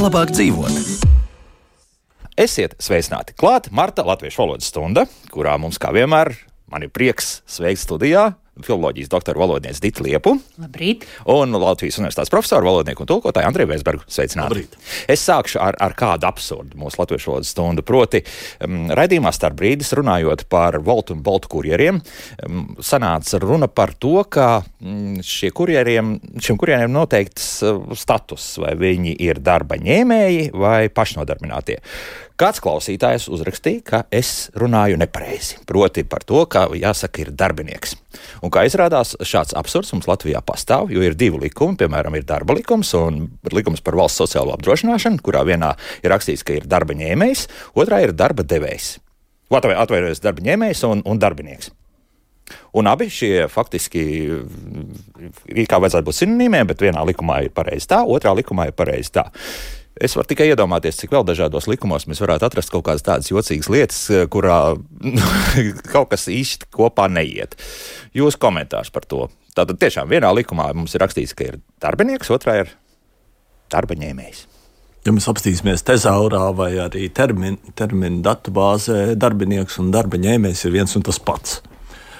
Labāk dzīvot. Esiet sveicināti klāt Marta Latviešu valodas stunda, kurā mums kā vienmēr man ir prieks sveikt studijā filoloģijas doktoru valodnieci Ditu Liepu. Labrīt. Un Latvijas universitātes profesoru, valodnieku un tulkotāju Andreju Vēsbergu. Sveicināti. Labrīt. Es sākšu ar kādu absurdu mūsu Latviešu valodas stundu. Proti, raidījumā Starp brīdis runājot par Woltu un Boltu kurjeriem, sanāca runa par to, ka šiem kurjeriem noteikts status, vai viņi ir darba ņēmēji vai pašnodarbinātie. Kāds klausītājs uzrakstīja, ka es runāju nepareizi. Proti par to, ka jāsaka ir darbinieks. Un kā izrādās, šāds absurds mums Latvijā pastāv, jo ir divi likumi, piemēram, ir darba likums un likums par valsts sociālo apdrošināšanu, kurā vienā ir rakstīts, ka ir darba ņēmējs, otrā ir darba devējs. Atvainojos, darba ņēmējs un darbinieks. Un abi šie faktiski ir kā vajadzētu būt sinonīmiem, bet vienā likumā ir pareizi tā, otrā likumā ir pareizi tā. Es varu tikai iedomāties, cik vēl dažādos likumos mēs varētu atrast kaut kādas tādas jocīgas lietas, kurā kaut kas īsti kopā neiet. Jūsu komentārs par to. Tātad tiešām vienā likumā mums ir rakstīts, ka ir darbinieks, otrā ir darba ņēmējs. Ja mēs apstīsimies tezaurā vai arī terminu datubāzē, darbinieks un darba ņēmējs ir viens un tas pats.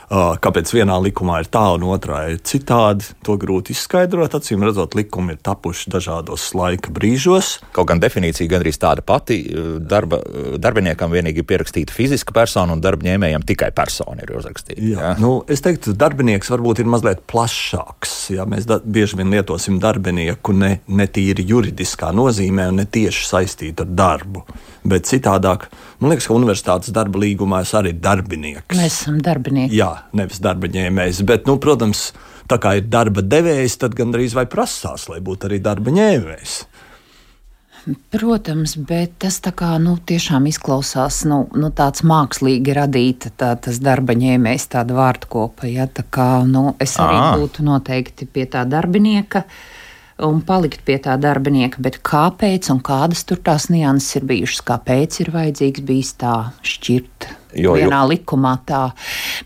Kāpēc vienā likumā ir tā un otrā ir citādi, to grūti izskaidrot. Acīm redzot, likumi ir tapuši dažādos laika brīžos. Kaut gan definīcija gandrīz tāda pati. Darbiniekam vienīgi ir pierakstīta fiziska persona un darbņēmējam tikai persona ir uzrakstīta. Jā. Es teiktu, darbinieks varbūt ir mazliet plašāks. Jā, mēs bieži vien lietosim darbinieku ne tīri juridiskā nozīmē un ne tieši saistītu ar darbu. Bet citādāk, man liekas, ka universitātes darba līgumā es arī darbinieks. Mēs esam darbinieki. Jā, nevis darba ņēmējs, bet, protams, tā kā ir darba devējs, tad gandrīz vai prasās, lai būtu arī darba ņēmējs. Protams, bet tas tā kā, tiešām izklausās, tāds mākslīgi radīta tas darba ņēmējs, tāda vārdkopa, ja, tā kā, es arī būtu noteikti pie tā darbinieka un palikt pie tā darbinieka, bet kāpēc un kādas tur tās nianses ir bijušas, kāpēc ir vajadzīgs bijis tā šķirt vienā likumā tā.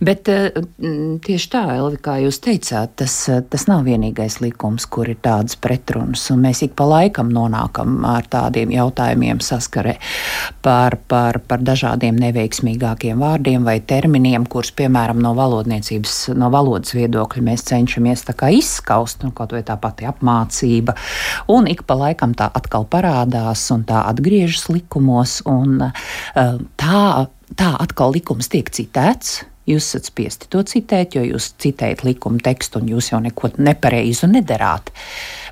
Bet tieši tā, Elvi, kā jūs teicāt, tas nav vienīgais likums, kur ir tādas pretrunas, un mēs ik pa laikam nonākam ar tādiem jautājumiem saskarē par dažādiem neveiksmīgākiem vārdiem vai terminiem, kurus, piemēram, no valodas viedokļa mēs cenšamies tā kā izskaust, kaut vai tā pati apmācība, un ik pa laikam tā atkal parādās un tā atgriežas likumos, un tā atkal likums tiek citēts. Jūs esat spiesti to citēt, jo jūs citējat likuma tekstu un jūs jau neko nepareizu nedarāt.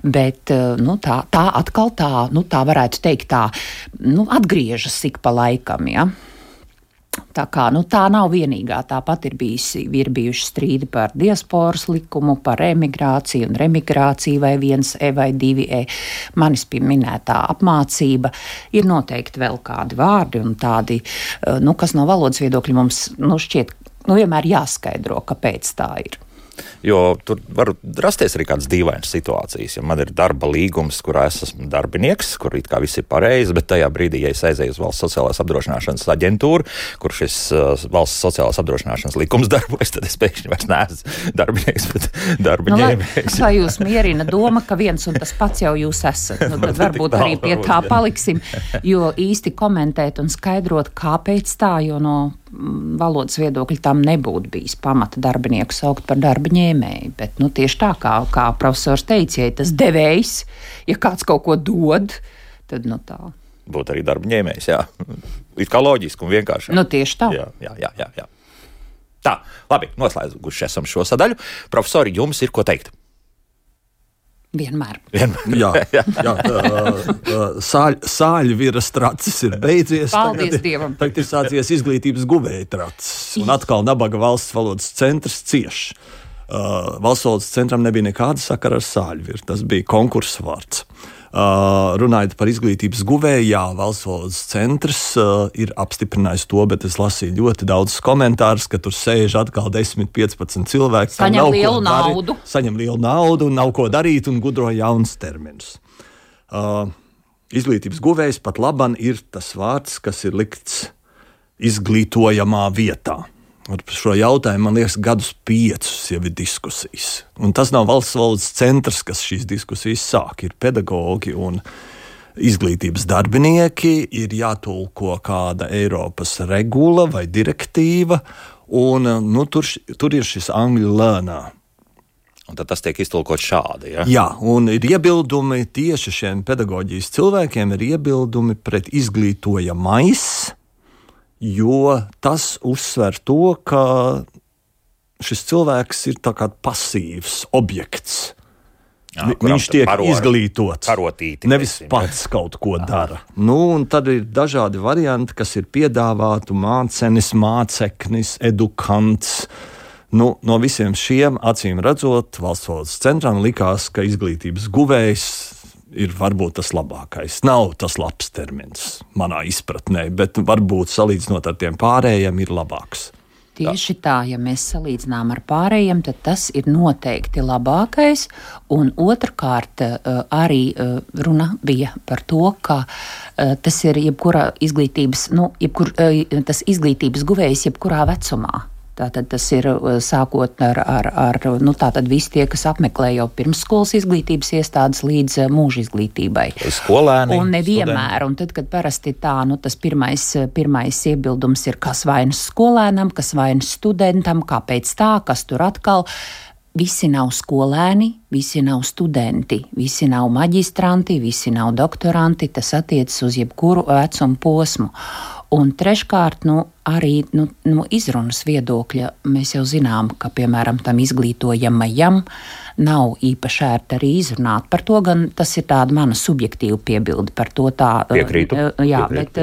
Bet tā atkal tā varētu teikt atgriežas ik pa laikam, ja. Tā kā, tā nav vienīgā, tāpat ir bijuši strīdi par diasporas likumu, par emigrāciju un remigrāciju vai 1E vai 2E. Manis minētā apmācība ir noteikti vēl kādi vārdi un tādi, kas no valodas viedokļa mums, šķiet, vienmēr jāskaidro, kāpēc tā ir. Jo tur var rasties arī kādas dīvainas situācijas. Ja man ir darba līgums, kurā es esmu darbinieks, kur it kā viss ir pareizi, bet tajā brīdī, ja es aizēju uz valsts sociālās apdrošināšanas aģentūru, kur šis valsts sociālās apdrošināšanas likums darbojas, tad es pēkšņi vairs neesmu darbinieks, bet darba ņēmējs. Kā jūs mierina doma, ka viens un tas pats jau jūs esat? Tad varbūt arī pie tā paliksim, jo īsti komentēt un skaidrot, kāpēc tā, jo no valodas viedokļa tam nebūtu bijis pamata darbinieku saukt par darba ņēmēju, bet tieši tā, kā profesors teica, ja tas devējs, ja kāds kaut ko dod, tad tā. Būtu arī darba ņēmējs, jā. It kā loģiski un vienkārši. Tieši tā. Jā. Tā, labi, noslēguši esam šo sadaļu. Profesori, jums ir ko teikt? Vienmēr. Sāļu viras tracis ir beidzies. Paldies Dievam. Tagad ir sācies izglītības guvēja tracis. Un atkal nabaga valsts valodas centrs cieš. Valsts valodas centram nebija nekāda sakara ar sāļu viru. Tas bija konkursa vārds. Runājot par izglītības guvēju, jā, Valsts valodas centrs ir apstiprinājis to, bet es lasīju ļoti daudz komentārus, ka tur sēž atkal 10-15 cilvēki. Saņem lielu naudu un nav ko darīt un gudro jauns terminus. Izglītības guvējs pat laban ir tas vārds, kas ir likts izglītojamā vietā. Ar šo jautājumu, man liekas, gadus 5 jau ir diskusijas. Un tas nav Valsts valodas centrs, kas šīs diskusijas sāk. Ir pedagogi un izglītības darbinieki, ir jātulko kāda Eiropas regula vai direktīva, un tur ir šis angļu learner. Un tad tas tiek iztulkots šādi, ja? Jā, un ir iebildumi tieši šiem pedagoģijas cilvēkiem, ir iebildumi pret izglītojamais, jo tas uzsver to, ka šis cilvēks ir tā kā pasīvs objekts. Viņš tiek izglītots, nevis pats kaut ko dara. Un tad ir dažādi varianti, kas ir piedāvāti mācenis, māceknis, edukants. No visiem šiem, acīm redzot, Valsts valodas centram likās, ka izglītības guvējs ir varbūt tas labākais. Nav tas labs termins manā izpratnē, bet varbūt salīdzinot ar tiem pārējiem ir labāks. Tieši tā, ja mēs salīdzinām ar pārējiem, tad tas ir noteikti labākais. Un otrkārt, arī runa bija par to, ka tas ir jebkurā izglītības, tas izglītības guvējs jebkurā vecumā. Tātad tas ir sākot ar tātad visi tie, kas apmeklē jau pirmsskolas izglītības iestādes līdz mūža izglītībai. Skolēni. Un nevienmēr. Un tad, kad parasti tā, tas pirmais iebildums ir, kas vainas skolēnam, kas vainas studentam, kāpēc tā, kas tur atkal. Visi nav skolēni, visi nav studenti, visi nav maģistranti, visi nav doktoranti, tas attiecas uz jebkuru vecumu posmu. Un treškārt, arī izrunas viedokļa mēs jau zinām, ka, piemēram, tam izglītojamajam nav īpaši ērti arī izrunāt. Par to gan tas ir tāda mana subjektīva piebilde. Par to tā. Piekrītu. Jā, bet,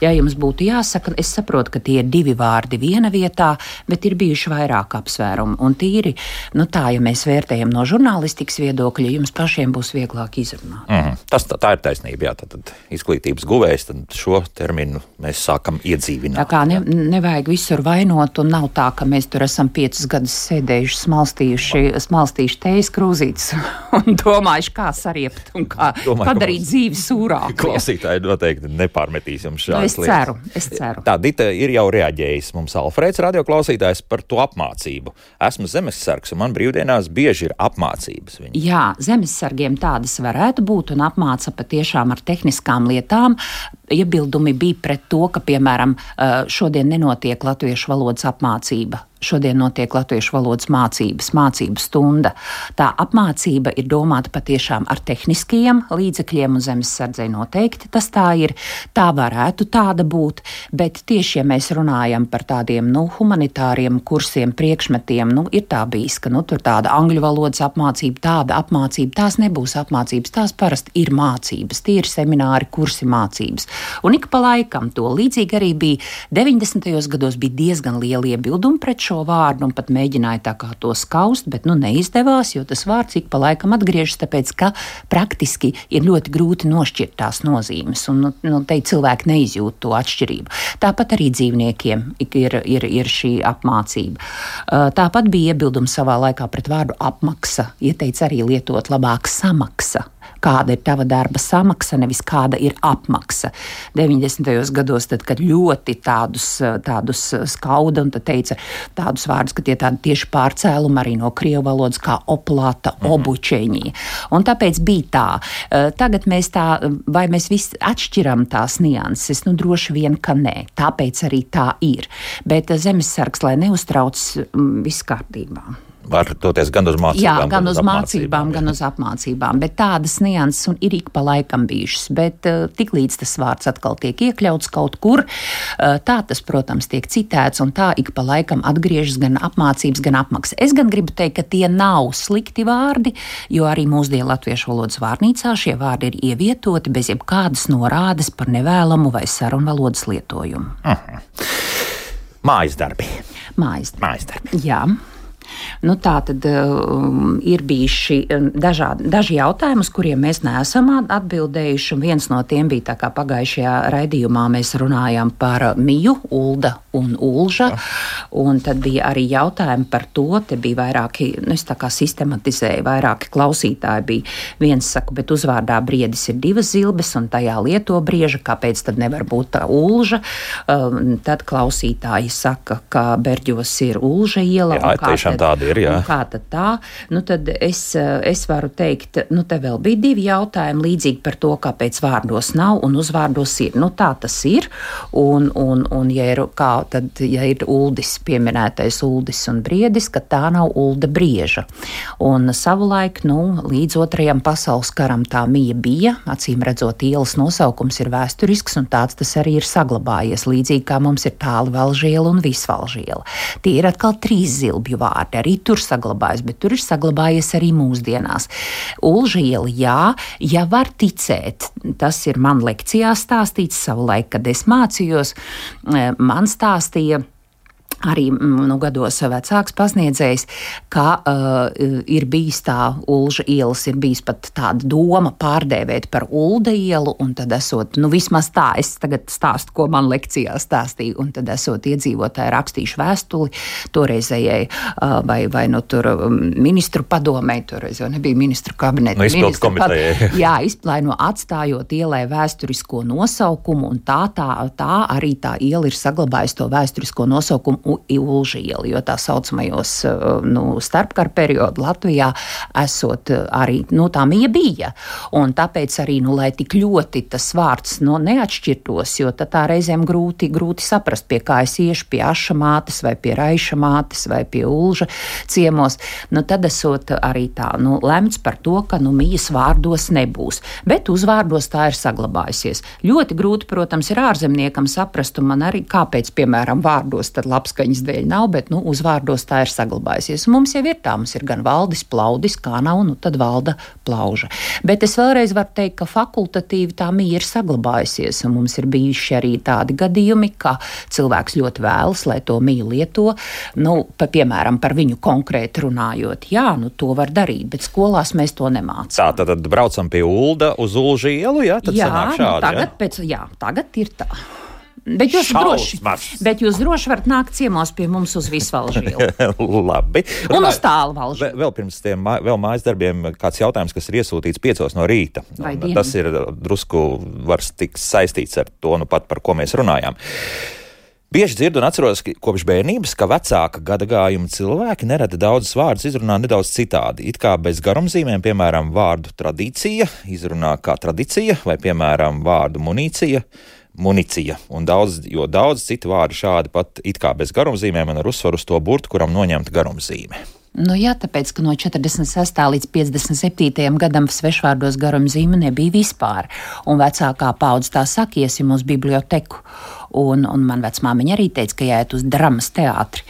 ja jums būtu jāsaka, es saprotu, ka tie ir 2 vārdi viena vietā, bet ir bijuši vairāk apsvērumi. Un tīri, tā, ja mēs vērtējam no žurnālistikas viedokļa, jums pašiem būs vieglāk izrunāt. Tā ir taisnība, jā. Tad izglītības guvējs, tad šo terminu mēs sākam iedzīvināt. Tā kā nevajag visur vainot, un nav tā, ka mēs tur esam 5 gadus sēdējuši, smalstījuši tejas krūzītes un domājuši, kā sariept un kā padarīt dzīvi sūrāku. Klausītāji noteikti nepārmetīs jums šādas lietas. Es ceru. Tā, Dita ir jau reaģējis mums Alfrēds radioklausītājs par to apmācību. Esmu zemessargs un man brīvdienās bieži ir apmācības. Jā, zemessargiem tādas varētu būt un apmāca patiešām ar tehniskām lietām. Iebildumi bija pret to, ka, piemēram, šodien nenotiek latviešu valodas apmācība. Šodien notiek latviešu valodas mācību stunda. Tā apmācība ir domāta patiešām ar tehniskajiem līdzekļiem un zemessardzei noteikti. Tas tā ir, tā varētu tāda būt, bet tieši, ja mēs runājam par tādiem, humanitāriem kursiem, priekšmetiem, ir tā bijis, ka, tur tāda angļu valodas apmācība, tāda apmācība, tās nebūs apmācības, tās parasti ir mācības, tie ir semināri, kursi mācības. Un ik pa laikam to līdzīgi arī bija 90. gados bija diezgan liela iebilduma pret šo vārdu un pat mēģināja tā kā to skaust, bet neizdevās, jo tas vārds ik pa laikam atgriežas, tāpēc, ka praktiski ir ļoti grūti nošķirt tās nozīmes un te cilvēki neizjūt to atšķirību. Tāpat arī dzīvniekiem ir šī apmācība. Tāpat bija iebildumi savā laikā pret vārdu apmaksa, ieteica arī lietot labāk samaksa. Kāda ir tava darba samaksa, nevis kāda ir apmaksa. 90. gados, tad, kad ļoti tādus skauda un tad teica tādus vārdus, ka tie tādi tieši pārcēlumi arī no krievu valodas kā oplata, obučeņi. Un tāpēc bija tā. Tagad mēs vai mēs visi atšķiram tās nianses? Droši vien, ka nē. Tāpēc arī tā ir. Bet zemessargs, lai neuztrauc, viss kārtībā. Var doties gan uz mācībām, jā, gan uz mācībām, gan uz apmācībām, bet tādas nianses ir ik pa laikam bijušas, bet tiklīdz tas vārds atkal tiek iekļauts kaut kur, tā tas, protams, tiek citēts un tā ik pa laikam atgriežas gan apmācības, gan apmaksa. Es gan gribu teikt, ka tie nav slikti vārdi, jo arī mūsdienu latviešu valodas vārnīcā šie vārdi ir ievietoti bez jebkādas norādes par nevēlamu vai sarunvalodas lietojumu. Mājas darbi. Mājas darbi. Jā. Nu, tā tad ir bijuši daži jautājumi, uz kuriem mēs neesam atbildējuši. Viens no tiem bija tā, kā pagājušajā raidījumā mēs runājām par Miju, Ulda un Ulža. Un tad bija arī jautājumi par to, te bija vairāki, es tā kā sistematizēju, vairāki klausītāji bija. Viens saka, bet uzvārdā Briedis ir 2 zilbes un tajā lieto brieža, kāpēc tad nevar būt tā Ulža? Tad klausītāji saka, ka Berģos ir Ulža iela. Jā, tiešām tāda ir, jā. Kā tad tā? Nu, tad es varu teikt, nu, te vēl bija 2 jautājumi līdzīgi par to, kāpēc vārdos nav un uzvārdos ir. Nu, tā tas ir. Un ja ir Uldis, pieminētais Uldis un Briedis, ka tā nav Ulda brieža. Un savulaik, līdz 2. pasaules karam tā Mija bija, acīm redzot, ielas nosaukums ir vēsturisks un tāds tas arī ir saglabājies, līdzīgi kā mums ir Tālvalžiela un Visvalžiela. Tie ir atkal 3 zilbju vārdi, arī tur saglabājas, bet tur ir saglabājies arī mūsdienās. Ulža iela, jā, ja var ticēt, tas ir man lekcijā stāstīts savulaik, kad es mācījos, man stāstīja arī gados vecāks pasniedzējs, ka ir bijis tā Ulža ielas, ir bijis pat tāda doma pārdēvēt par Ulda ielu, un tad esot, vismaz tā, es tagad stāstu, ko man lekcijā stāstīja, un tad esot iedzīvotāji rakstījuši vēstuli toreizējai, vai tur ministru padomei, toreiz jau nebija ministru kabineta. Izpildu komitejai. Jā, atstājot ielai vēsturisko nosaukumu, un tā arī tā iela ir saglabājusi to vēsturisko nosaukumu Ulža iela, jo tā saucamajos starpkara periodu Latvijā esot arī, tā Mija bija. Un tāpēc arī, lai tik ļoti tas vārds neatšķirtos, jo tā reizēm grūti saprast, pie kā es iešu, pie Aša mātes vai pie Raiša mātes vai pie Ulža ciemos, tad esot arī tā, lemts par to, ka Mijas vārdos nebūs. Bet uzvārdos tā ir saglabājusies. Ļoti grūti, protams, ir ārzemniekam saprast, un man arī, kāpēc, piemēram, vārdos tad labskaņas dēļ nav, bet, uzvārdos tā ir saglabājusies. Un mums jau ir tā, mums ir gan Valdis Plaudis, kā nav, tad Valda Plauža. Bet es vēlreiz varu teikt, ka fakultatīvi tā Mija ir saglabājusies, un mums ir bijuši arī tādi gadījumi, ka cilvēks ļoti vēlas, lai to Miju lieto, piemēram, par viņu konkrēti runājot. Jā, to var darīt, bet skolās mēs to nemācām. Tā, tad braucam pie Ulda uz Ulža ielu, jā? Tad sanāk šādi, tagad ir tā. Bet jūs droši varat nākt ciemos pie mums uz Visvalžielu. Labi. Un uz Tālvalžielu. Vēl pirms tiem mājas darbiem kāds jautājums, kas ir iesūtīts 5 no rīta. Tas ir drusku var tikt saistīts ar to, pat par ko mēs runājām. Bieži dzirdu un atceros kopš bērnības, ka vecāka gadagājuma cilvēki nereti daudzas vārdus izrunā nedaudz citādi. It kā bez garumzīmēm, piemēram, vārdu tradīcija izrunā kā tradicija, vai, piemēram, vārdu municija, un daudz citu vārdu šādi pat it kā bez garumzīmēm un ar uzsvaru uz to burtu, kuram noņemta garumzīme. Jā, tāpēc, ka no 46. līdz 57. gadam svešvārdos garumzīme nebija vispār. Un vecākā paudze tā saka, iesim uz biblioteku. Un man vecmāmiņa arī teica, ka jāiet uz dramas teātri.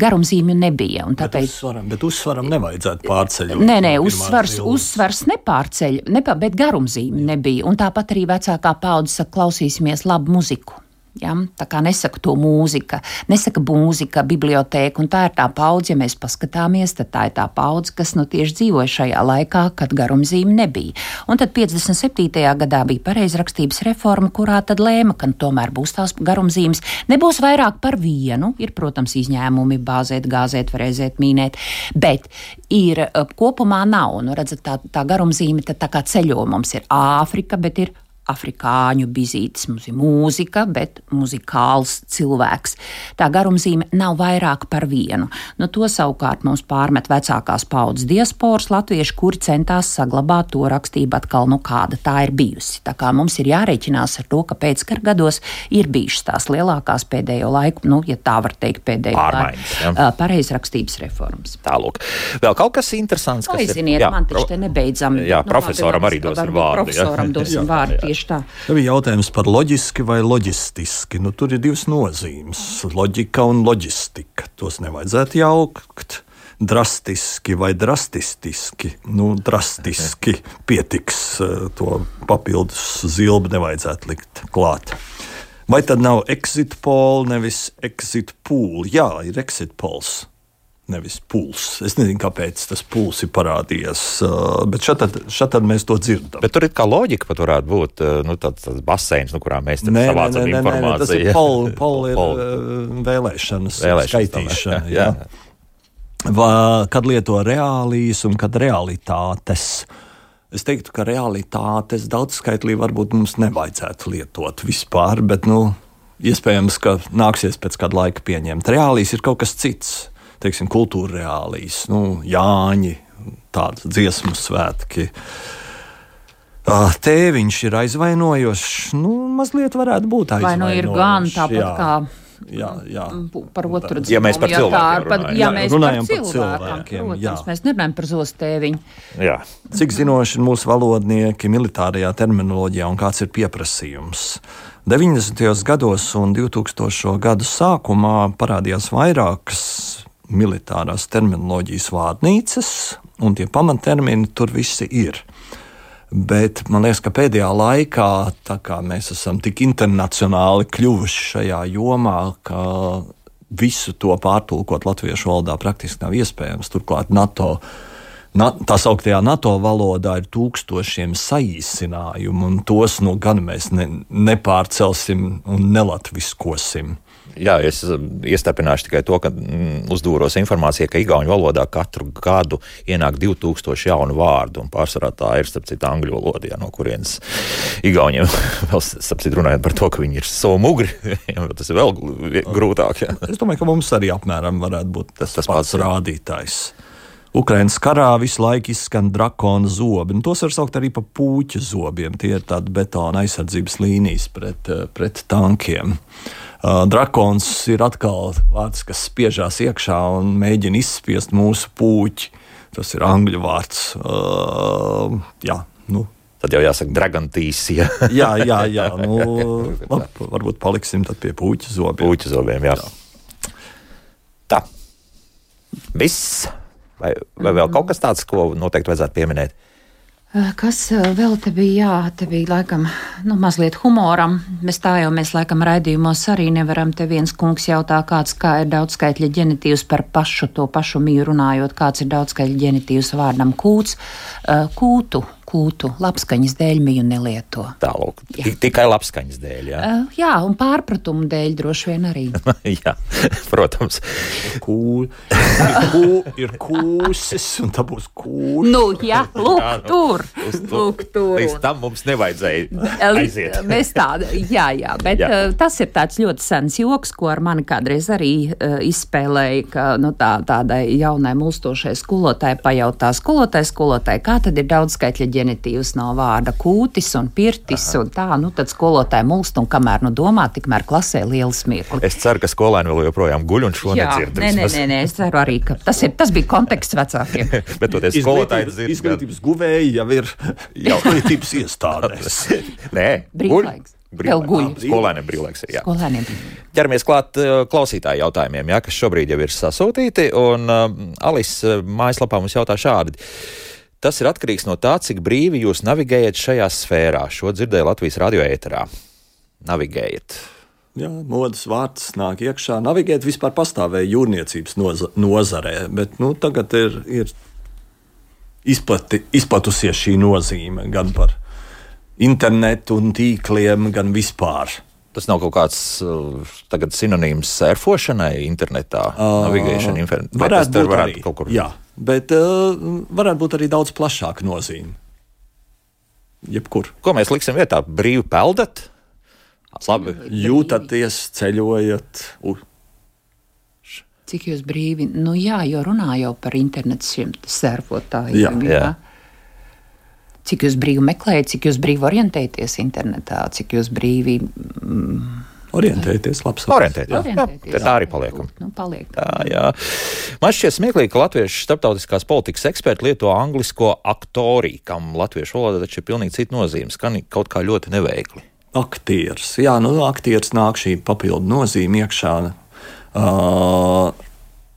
Garumzīmju nebija. Un tāpēc... Bet uzsvaram nevajadzētu pārceļot. Nē, uzsvars nepārceļ, bet garumzīme nebija. Un tāpat arī vecākā paudze saka, klausīsimies labu muziku. Ja? Tā kā nesaka to mūzika, bibliotēka, un tā ir tā paudze, ja mēs paskatāmies, tad tā ir tā paudze, kas tieši dzīvoja šajā laikā, kad garumzīme nebija. Un tad 57. gadā bija pareizrakstības reforma, kurā tad lēma, ka tomēr būs tās garumzīmes, nebūs vairāk par vienu, ir, protams, izņēmumi, bāzēt, gāzēt, frēzēt, mīnēt, bet ir kopumā nav, redzat, tā garumzīme tad tā kā ceļo, mums ir Āfrika, bet ir afrikāņu bizītes, mums ir mūzika, bet muzikāls cilvēks. Tā garumzīme nav vairāk par vienu. To savukārt mums pārmet vecākās paudzes diasporas latvieši, kuri centās saglabāt to rakstību atkal, kāda tā ir bijusi. Tā kā mums ir jārēķinās ar to, ka pēckara gados ir bijušas tās lielākās pēdējo laiku, ja tā var teikt, pareizrakstības reformas. Tālūk. Vēl kaut kas interesants, kas ziniet, ir... man taču te nebeidzami. Jā, profesoram arī dosim vārdu. Profesoram dosim vārdu. Tā bija jautājums par loģiski vai loģistiski. Tur ir 2 nozīmes - loģika un loģistika. Tos nevajadzētu jaukt. Drastiski vai drastistiski. Drastiski pietiks, to papildus zilbi nevajadzētu likt klāt. Vai tad nav exit poll, nevis exit pool? Jā, ir exit polls. nevis puls. Es nezinu, kāpēc tas puls ir parādījies, bet šeit mēs to dzirdam. Bet tur ir kā loģika pat varētu būt tāds baseins, kurā mēs savācam informāciju. Tas ir vēlēšanas skaitīšana. Jā. Kad lieto reālijas un kad realitātes. Es teiktu, ka realitātes daudzskaitlī varbūt mums nevajadzētu lietot vispār, bet, iespējams, ka nāksies pēc kāda laika pieņemt. Reālijas ir kaut kas cits. Teiksim, kultūra reālijas, Jāņi, tādas dziesmu svētki. Tēviņš ir aizvainojošs, mazliet varētu būt aizvainojošs. Vai ir gan tāpat kā jā. Par otru dziesmu. Ja mēs par cilvēkiem runājam par cilvēkiem. Protams, mēs nerunājam par zostēviņu. Jā. Cik zinoši ir mūsu valodnieki militārajā terminoloģijā un kāds ir pieprasījums? 90. gados un 2000. gadu sākumā parādījās vairākas militārās terminoloģijas vārnīcas, un tie pamattermini tur visi ir. Bet man liekas, ka pēdējā laikā, tā kā mēs esam tik internacionāli kļuvuši šajā jomā, ka visu to pārtulkot latviešu valodā praktiski nav iespējams. Turklāt tā sauktajā NATO valodā ir tūkstošiem saīsinājumu, un tos gan mēs nepārcelsim un nelatviskosim. Jā, es iestarpināšu tikai to, ka uzdūros informācija, ka igauņu valodā katru gadu ienāk 2000 jaunu vārdu, un pārsvarā tā ir, starp citu, angļu valodā, no kurienes igauņiem vēl, starp citu, runājot par to, ka viņi ir savu mugri, tas ir vēl grūtāk. Jā. Es domāju, ka mums arī apmēram varētu būt tas pats rādītājs. Ukrainas karā visu laiku izskan drakona zobi, un tos var saukt arī par pūķa zobiem. Tie ir tādi betona aizsardzības līnijas pret tankiem. Drakons ir atkal vārds, kas spiežās iekšā un mēģina izspiest mūsu pūķi. Tas ir angļu vārds. Tad jau jāsaka dragantīs. Jā. Varbūt paliksim tad pie pūķa zobiem. Pūķa zobiem, jā. Tā. Viss. Vai vēl kaut kas tāds, ko noteikti vajadzētu pieminēt? Kas vēl te bija? Jā, te bija laikam mazliet humoram. Mēs laikam raidījumos arī nevaram. Te viens kungs jautā, kā ir daudzskaitļa ģenitīvs par to pašu miju runājot, kāds ir daudzskaitļa ģenitīvs vārdam kūts. Kūtu labskaņas dēļ miju nelieto. Tālūk, tikai labskaņas dēļ, jā? Jā, un pārpratumu dēļ droši vien arī. Jā, protams. Ir kūsis, un tā būs kūša. Lūk, tur. Līdz tam mums nevajadzēja aiziet. Mēs jā, bet tas ir tāds ļoti sens joks, ko ar mani kādreiz arī izspēlēja, ka tādai jaunai mulstošai skolotāji pajautā skolotāji, kā tad ir daudzskaitļa ģenitīvs no vārda kūtis un pirtis un tā, tad skolotāji mulst un kamēr domā, tikmēr klasē liela smiekli. Es ceru, ka skolēni vēl joprojām guļ un šo nedzird. Nē, es ceru arī, ka tas bija konteksts vecākiem. Bet toties skolotāji dzird. Izglītības guvēji jau ir izglītības iestādēs. Nē, brīvlaiks. Vēl guļ. Skolēniem brīvlaiks ir, jā. Skolēniem. Ķeramies klāt klausītāju jautājumiem, kas šobrīd jau ir sasūtīti, un Alisa mājaslapā mums jautā šādi. Tas ir atkarīgs no tā, cik brīvi jūs navigējat šajā sfērā. Šo dzirdēju Latvijas radio ēterā. Navigējat. Jā, modes vārds nāk iekšā. Navigēt vispār pastāvēja jūrniecības nozarē, bet tagad ir izplatusies šī nozīme gan par internetu un tīkliem, gan vispār. Tas nav kaut kāds tagad sinonīms sērfošanai internetā, navigēšana internetā. Varētu būt kaut kur. Jā, bet varētu būt arī daudz plašāka nozīme. Jebkur. Ko mēs liksim vietā? Brīvi peldat? Labi. Jūtaties, ceļojat. Cik jūs brīvi? Jā, jo runā jau par internetu šiem sērfotājiem. Jā. Cik jūs brīvi meklējat, cik jūs brīvi orientēties internetā, cik jūs brīvi... Orientēties, labs. Orientēties. Tā arī paliekam. Paliek. Jā. Man šķiet smieklīgi, ka latviešu starptautiskās politikas eksperti lieto anglisko aktori, kam latviešu valoda taču ir pilnīgi cita nozīme, skan kaut kā ļoti neveikli. Aktieris. Jā, aktieris nāk šī papildu nozīme iekšā.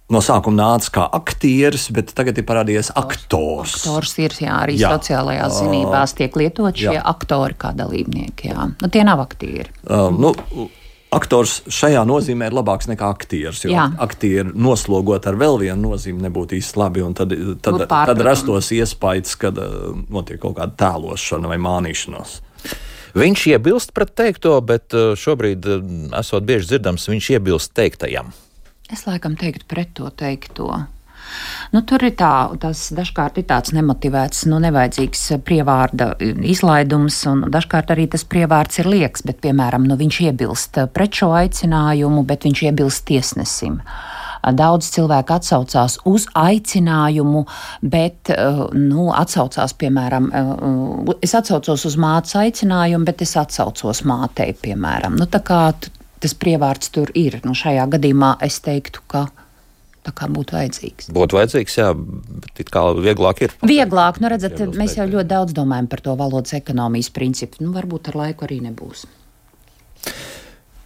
No sākuma nāca kā aktieris, bet tagad ir parādījies aktors. Aktors ir, arī sociālajās zinībās tiek lietot šie aktori kā dalībnieki, jā. Tie nav aktieri. Aktors šajā nozīmē ir labāks nekā aktieris, jo aktieri noslogot ar vēl vienu nozīmi nebūtu īsti labi, un tad rastos iespējas, kad notiek kaut kāda tēlošana vai mānīšanos. Viņš iebilst pret teikto, bet šobrīd, esot bieži dzirdams, viņš iebilst teiktajam. Es laikam teiktu pret to teikto. Tur ir tas dažkārt ir tāds nemotivēts, nevajadzīgs prievārda izlaidums, un dažkārt arī tas prievārds ir lieks, bet, piemēram, viņš iebilst pret šo aicinājumu, bet viņš iebilst tiesnesim. Daudz cilvēku atsaucās uz aicinājumu, bet atsaucās, piemēram, es atsaucos uz mātes aicinājumu, bet es atsaucos mātei, piemēram. Tā kā tas prievārds tur ir. Šajā gadījumā es teiktu, ka tā kā būtu vajadzīgs. Būtu vajadzīgs, jā, bet it kā vieglāk ir. Vieglāk, redzat, mēs jau ļoti daudz domājam par to valodas ekonomijas principu. Varbūt ar laiku arī nebūs.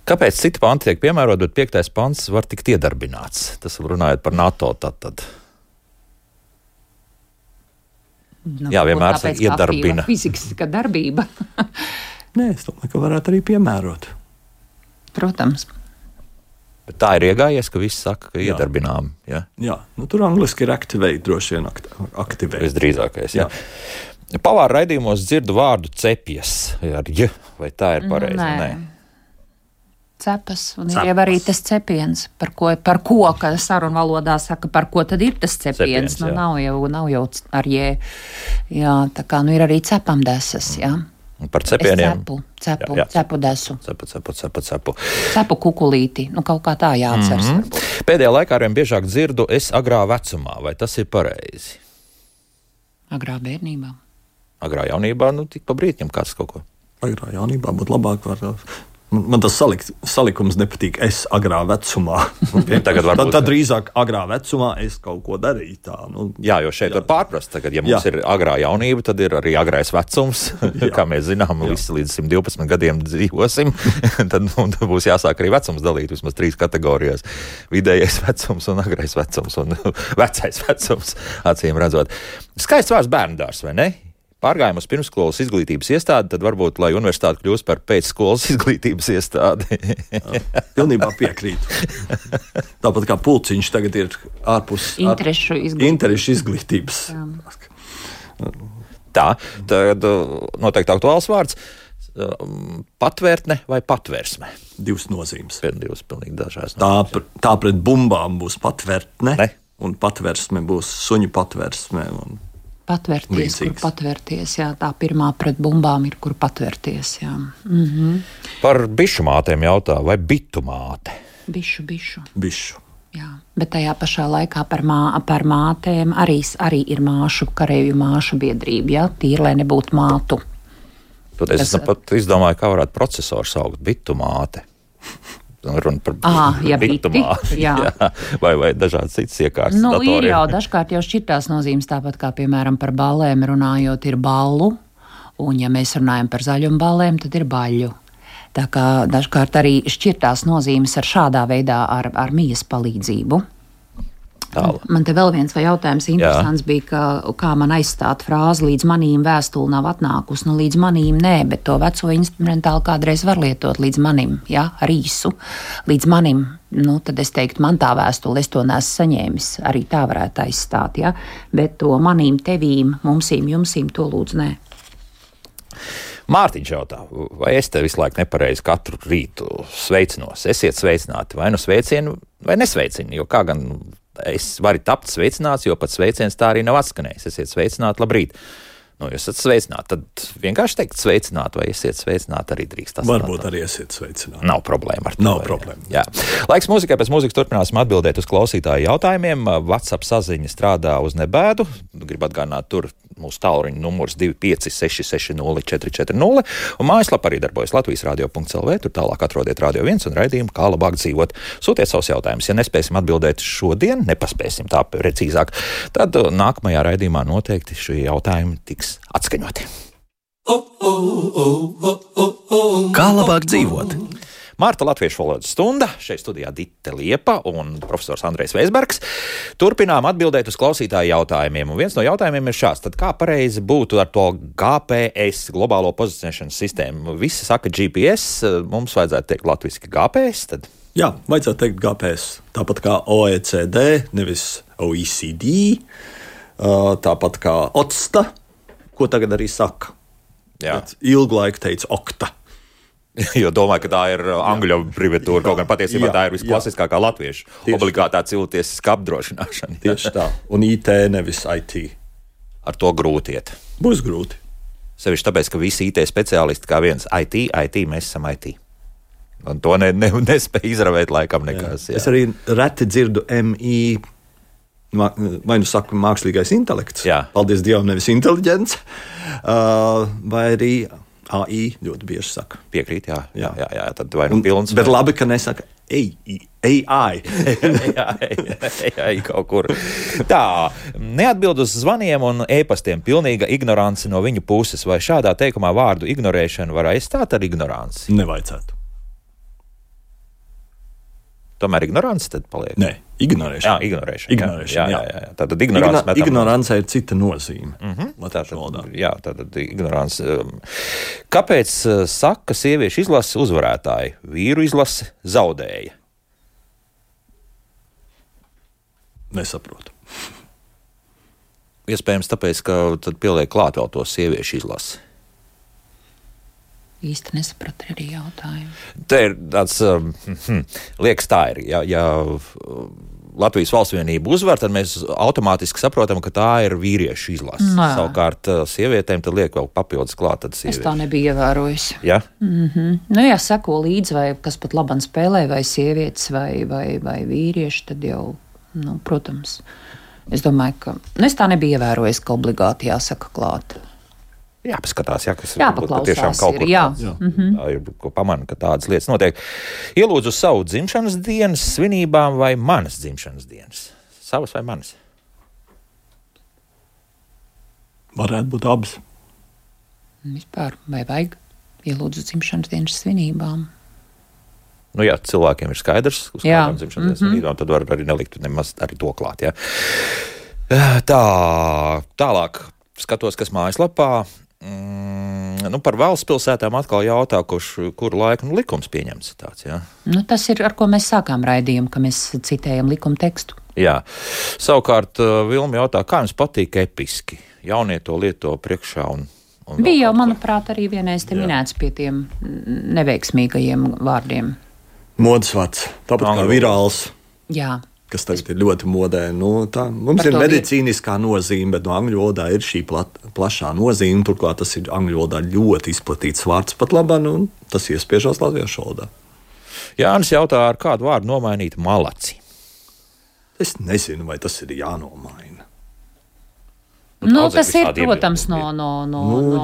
Kāpēc citi panti tiek piemērot, bet 5. pants var tikt iedarbināts? Tas runājot par NATO tad. Jā, vienmēr iedarbina. Fiziska darbība. Nē, es domāju, ka varētu arī piemērot. Protams. Bet tā ir iegājies, ka viss saka, ka iedarbinām. Ja? Jā, tur angliski ir activate, droši vien activate. Visdrīzākais, jā. Pavāra raidījumos dzirdu vārdu cepjas, vai tā ir pareizi? Nē. Cepas, un ir jau arī tas cepiens, par ko, ka sarunu valodā saka, par ko tad ir tas cepiens. Nav jau ar jē. Jā, tā kā ir arī cepamdesas, jā. Par cepieniem. Cepu desu. Cepu. Cepu kukulīti. Kaut kā tā jāatceras. Pēdējā laikā arvien biežāk dzirdu es agrā vecumā. Vai tas ir pareizi? Agrā bērnībā. Agrā jaunībā, tik pa brītņam kāds kaut ko. Agrā jaunībā būtu labāk Man tas salikums nepatīk. Es agrā vecumā. Tad drīzāk agrā vecumā es kaut ko darīju tā. Jā, jo šeit var pārprast. Tagad, ja mums ir agrā jaunība, tad ir arī agrais vecums. Kā mēs zinām, visi līdz 112 gadiem dzīvosim. Tad būs jāsāk arī vecums dalīt vismaz 3 kategorijās. Vidējais vecums un agrais vecums un vecais vecums, acīm redzot. Skaists vārds bērndārs, vai ne? Pārgājām uz pirmsskolas izglītības iestādi, tad varbūt, lai universitāte kļūst par pēcskolas izglītības iestādi. Pilnībā piekrītu. Tāpat kā pulciņš tagad ir ārpus interešu izglītības. Tā, tad noteikti aktuāls vārds. Patvērtne vai patvērsme? 2 nozīmes. 2 pilnīgi dažās nozīmes. Tā pret bumbām būs patvērtne, un patvērsme būs suņu patvērsme. Patvērties, kur patvērties, jā. Tā pirmā pret bumbām ir, kur patvērties, jā. Par bišu mātēm jautā, vai bitu māte? Bišu. Jā, bet tajā pašā laikā par mātēm arī ir kareivju māšu biedrība, jā, tīri, lai nebūtu mātu. Tad es pat izdomāju, kā varētu procesoru saukt bitu māte. Runa par bitu māti, jā. Vai dažādas citas iekārtas datoriem. Ir jau dažkārt jau šķirtās nozīmes, tāpat kā, piemēram, par ballēm runājot ir ballu, un ja mēs runājam par zaļumu ballēm, tad ir baļu. Tā kā dažkārt arī šķirtās nozīmes ar šādā veidā ar mijas palīdzību. Man te vēl viens jautājums interesants bija, kā man aizstāt frāzi līdz manīm vēstuli nav atnākusi. Līdz manīm nē, bet to veco instrumentāli kādreiz var lietot līdz manim, jā, ar īsu. Līdz manim, tad es teiktu, man tā vēstuli, es to neesmu saņēmis. Arī tā varētu aizstāt, jā. Bet to manīm, tevīm, mumsīm, jumsīm, to lūdzu nē. Mārtiņš jautā, vai es te visu laiku nepareizi katru rītu sveicinos? Esiet sveicināti, vai sveicienu, vai nesveicinu, jo kā gan es varu tapt sveicināts, jo pat sveiciens tā arī nav atskanējis. Esiet sveicināti, labrīt. Jūs esat sveicināti, tad vienkārši teikt sveicināti, vai esiet sveicināti arī drīkst. Varbūt arī esiet sveicināti. Nav problēma ar to. Nav problēma. Jā. Laiks mūzikai, pēc mūzikas turpināsim atbildēt uz klausītāju jautājumiem. WhatsApp saziņa strādā uz nebēdu. Gribu atgādināt, tur mūsu tālruņa numurs 25660440 un mājaslapa arī darbojas latvijasradio.lv. Tur tālāk atrodiet Radio 1 un raidījumu, kā labāk dzīvot. Sūtiet savus jautājumus. Ja nespēsim atbildēt šodien, nepaspēsim tā precīzāk, tad nākamajā raidījumā noteikti šie jautājumi tiks atskaņoti. Kā labāk dzīvot? Marta latviešu valodas stunda, šeit studijā Dite Liepa un profesors Andrejs Veisbergs. Turpinām atbildēt uz klausītāju jautājumiem, un viens no jautājumiem ir šāds: tad kā pareizi būtu ar to GPS, globālo pozicionēšanas sistēmu? Visi saka GPS, mums vajadzētu teikt latviski GPS, tad? Jā, vajadzētu teikt GPS, tāpat kā OECD, nevis OECD, tāpat kā OCTA, ko tagad arī saka. Ilgu laiku teica OCTA. Jo domāju, ka tā ir angļu abreviatūra, kaut gan patiesībā tā ir visklasiskākā latviešu obligātā cilvēciska apdrošināšana. Tieši tā, un IT nevis IT. Ar to grūti iet. Būs grūti. Sevišķi tāpēc, ka visi IT speciālisti kā viens IT, mēs esam IT. Un to nespēja izravēt laikam nekas. Jā. Es arī reti dzirdu MI, vai nu saku mākslīgais intelekts, paldies Dievam, nevis inteliģents, vai arī AI ļoti bieži saka. Piekrīt, jā, tad vai nu pilns. Bet labi, ka nesaka AI. AI kaut kur. Tā, neatbild uz zvaniem un e-pastiem, pilnīga ignorance no viņu puses, vai šādā teikumā vārdu ignorēšanu var aizstāt ar ignoranci? Nevajadzētu. Tomēr ignorance tad paliek? Nē, ignorēšana. Jā. Tātad ignorance ir cita nozīme. Tātad ignorance. Kāpēc saka sieviešu izlases uzvarētāji, vīru izlase zaudēja? Nesaprotu. Iespējams tāpēc, ka tad pieliek klāt vēl to sieviešu izlasi. Īsti nesapratu arī jautājumu. Te ir tāds, liekas tā ir, ja Latvijas valsts vienība uzvar, tad mēs automātiski saprotam, ka tā ir vīriešu izlase. Savukārt sievietēm tad liek vēl papildus klāt. Es tā nebiju ievērojusi. Ja? Nu jā, seko līdzi, vai kas pat labam spēlē, vai sievietes, vai vīrieši, tad jau, protams, es domāju, ka, es tā nebiju ievērojusi, ka obligāti jāsaka klāt. Jāpaskatās, kas jāpaklausās tiešām kaut kur tā ir, ko pamana, ka tādas lietas notiek. Ielūdzu savu dzimšanas dienas svinībām vai manas dzimšanas dienas? Savas vai manas? Varētu būt abas. Vispār, vai vajag ielūdzu dzimšanas dienas svinībām? Nu jā, cilvēkiem ir skaidrs, uz kādām dzimšanas dienas svinībām, tad var arī nelikt nemaz arī to klāt, Tālāk skatos, kas mājaslapā. Par valsts pilsētām atkal jautā, kuru laiku likums pieņemts tāds, tas ir, ar ko mēs sākām raidījumu, ka mēs citējam likuma tekstu. Jā. Savukārt Vilma jautā, kā jums patīk episki? Jaunie to lieto priekšā un bija jau, manuprāt, arī vienreiz te minēts pie tiem neveiksmīgajiem vārdiem. Modes vārds, tāpat kā virāls. Jā. Kas tagad ir ļoti modē. Mums ir medicīniskā nozīme, bet no angļu valodā ir šī plašā nozīme. Turklāt tas ir angļu valodā ļoti izplatīts vārds pat labāk, un tas iespiežās latviešu valodā. Jānis jautā, ar kādu vārdu nomainīt malaci? Es nezinu, vai tas ir jānomaina. Tas ir, protams, no